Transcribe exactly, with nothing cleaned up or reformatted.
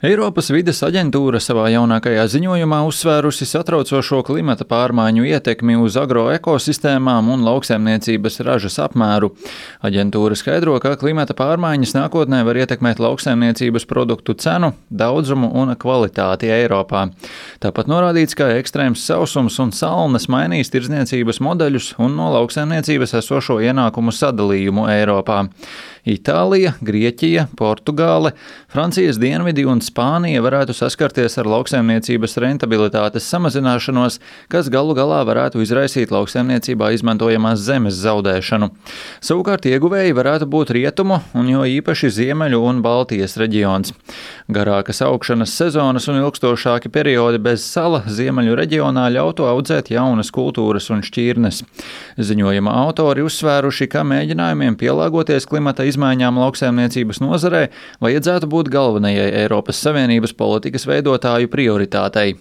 Eiropas vides aģentūra savā jaunākajā ziņojumā uzsvērusi satraucošo klimata pārmaiņu ietekmi uz agroekosistēmām un lauksaimniecības ražas apmēru. Aģentūra skaidro, ka klimata pārmaiņas nākotnē var ietekmēt lauksaimniecības produktu cenu, daudzumu un kvalitāti Eiropā. Tāpat norādīts, ka ekstrēms sausums un salnas mainīs tirdzniecības modeļus un no lauksaimniecības esošo ienākumu sadalījumu Eiropā. Itālija, Grieķija, Portugāle, Francijas dienvidi un Spānija varētu saskarties ar lauksaimniecības rentabilitātes samazināšanos, kas galu galā varētu izraisīt lauksaimniecībā izmantojamās zemes zaudēšanu. Savukārt ieguvēji varētu būt rietumu un jo īpaši Ziemeļu un Baltijas reģions. Garākas augšanas sezonas un ilgstošāki periodi bez sala Ziemeļu reģionā ļautu audzēt jaunas kultūras un šķirnes. Ziņojuma autori uzsvēruši, ka mēģinājumiem pielāgoties klimata izmaiņām lauksaimniecības nozarē vajadzētu būt galvenajai Eiropas Savienības politikas veidotāju prioritātei.